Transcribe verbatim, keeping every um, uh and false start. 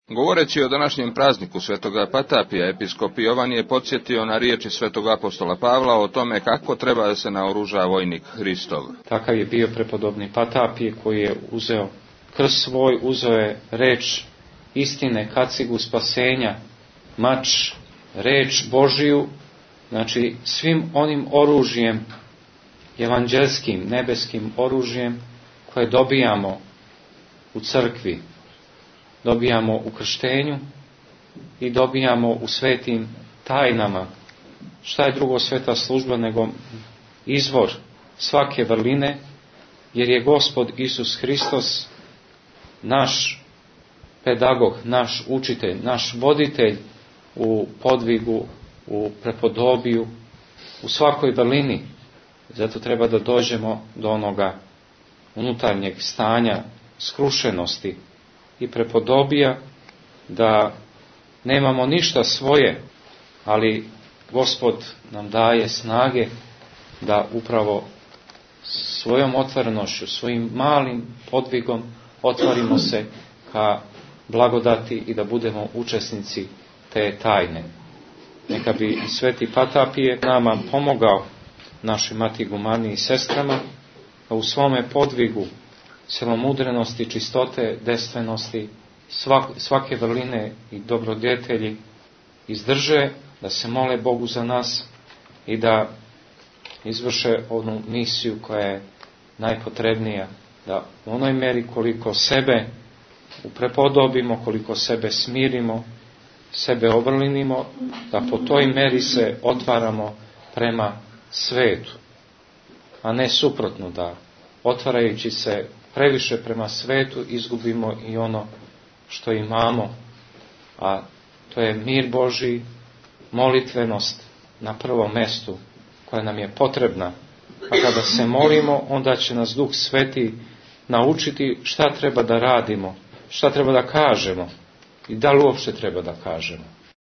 Govoreći o današnjem prazniku svetoga Patapija, episkop Jovan je podsjetio na riječi svetog apostola Pavla o tome kako treba da se naoruža vojnik Hristov. Takav je bio prepodobni Patapije koji je uzeo krst svoj, uzeo je reč istine, kacigu spasenja, mač, reč Božiju, znači svim onim oružjem, evanđelskim, nebeskim oružjem koje dobijamo u crkvi, dobijamo u krštenju i dobijamo u svetim tajnama. Šta je drugo sveta služba nego izvor svake vrline, jer je Gospod Isus Hristos naš pedagog, naš učitelj, naš voditelj u podvigu, u prepodobiju, u svakoj vrlini. Zato treba da dođemo do onoga unutarnjeg stanja skrušenosti i prepodobija, da nemamo ništa svoje, ali Gospod nam daje snage da upravo svojom otvorenošću, svojim malim podvigom otvorimo se ka blagodati i da budemo učesnici te tajne. Neka bi i sveti Patapije nama pomogao, našoj mati Gumani i sestrama, da u svome podvigu celomudrenosti, čistote, dejstvenosti, svake vrline i dobrodjetelji izdrže, da se mole Bogu za nas i da izvrše onu misiju koja je najpotrebnija, da u onoj meri koliko sebe uprepodobimo, koliko sebe smirimo, sebe obrlinimo, da po toj meri se otvaramo prema svetu, a ne suprotno, da otvarajući se previše prema svetu izgubimo i ono što imamo, a to je mir Božji, molitvenost na prvom mestu koja nam je potrebna. A kada se molimo, onda će nas Duh Sveti naučiti šta treba da radimo, šta treba da kažemo i da li uopšte treba da kažemo.